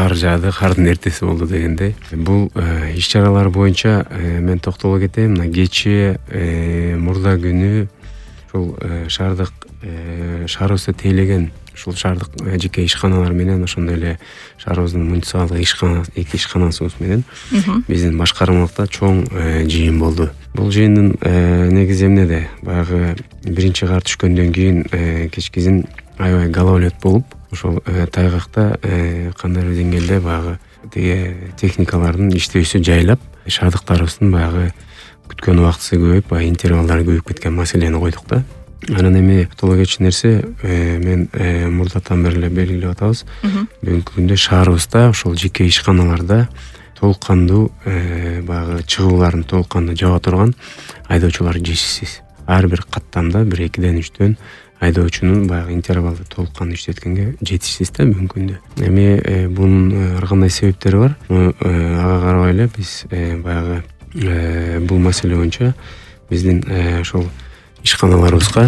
кар жаады, кардын эртеси болду дегендей. Бул иш-чаралар боюнча мен токтоло кетейин. Мына кечээ мурда күнү ушул шаарыбызда тейлеген ушул шаардык жеке ишканалар менен ошондой эле шаарыбыздын муниципалдык эки ишканасыбыз менен биздин башкармалыкта чоң жыйын болду. Бул жыйындын негизи эмнеде? Баягы биринчи кар түшкөндөн кийин кечкизин аябай гололед болуп, ошол тайгакта кандайдыр деңгээлде баягы тиги техникалардын иштөөсү жайлап, шаардыктарыбыздын баягы күткөн убактысы көбөйүп, баягы интервалдары көбөйүп кеткен маселени койдук да. Анан эми тола кетчү нерсе, мен мурдатан бери эле белгилеп атабыз. Бүгүнкү күндө шаарыбызда ошол жеке ишканаларда толук кандуу баягы чыгууларын толук кандуу жаба турган айдоочулар жетишсиз. Ар бир каттамда 1-2-3 айдоочунун баягы интервалды толук кандуу иштеткенге жетишсиз да бүгүнкү күндө. Эми бунун ар кандай себептери бар. Ага карабай эле биз баягы бул маселе боюнча биздин ошол ишканаларыбызга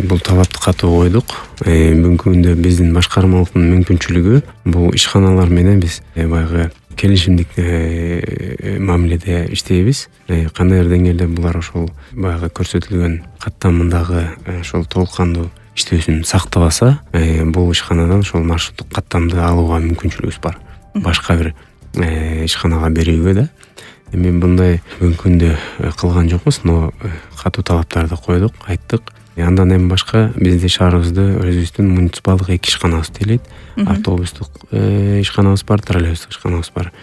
бул талапты катуу койдук. Бүгүнкү күндө биздин башкармалыктын мүмкүнчүлүгү бул ишканалар менен биз баягы келишимдик мамиледе иштейбиз. Кандайдыр деңгээлде булар ошол баягы көрсөтүлгөн каттамдагы ошол толук кандуу иштөөсүн сактабаса, бул ишканадан ошол маршруттук каттамды алууга мүмкүнчүлүгүбүз бар. Башка бир ишканага берүүгө да. Эми мындай бүгүнкү күндө кылган жокпуз, но катуу талаптарды койдук, айттык. Андан эми башка бизде шаарыбызды өзүбүздүн муниципалдык эки ишканабыз тейлейт. Автобустук ишканабыз бар, троллейбустук ишканабыз бар.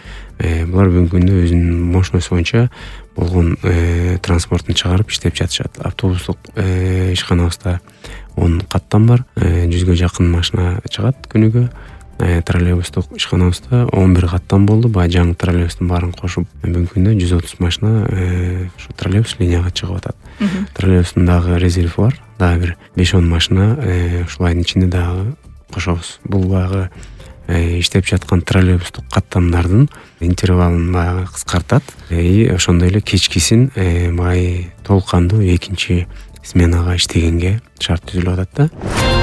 Булар бүгүнкү күндө өзүнүн мощносту боюнча болгон транспортун чыгарып иштеп жатышат. Автобустук ишканабызда 10 каттам бар, 100гө жакын машина чыгат күнүгө. Троллейбустук ишканабызда 11 каттам болду. Баягы жаңы троллейбустун баарын кошуп, бүгүнкү күндө 130 машина ушу троллейбус линияга чыгып атат. Троллейбустун дагы резерви бар. Дагы бир 5-10 машина ушул айдын ичинде дагы кошобуз. Бул баягы иштеп жаткан троллейбустук каттамдардын интервалын баягы кыскартат. Ошондой эле кечкисин толук кандуу экинчи сменага иштегенге шарт түзүлүп атат да.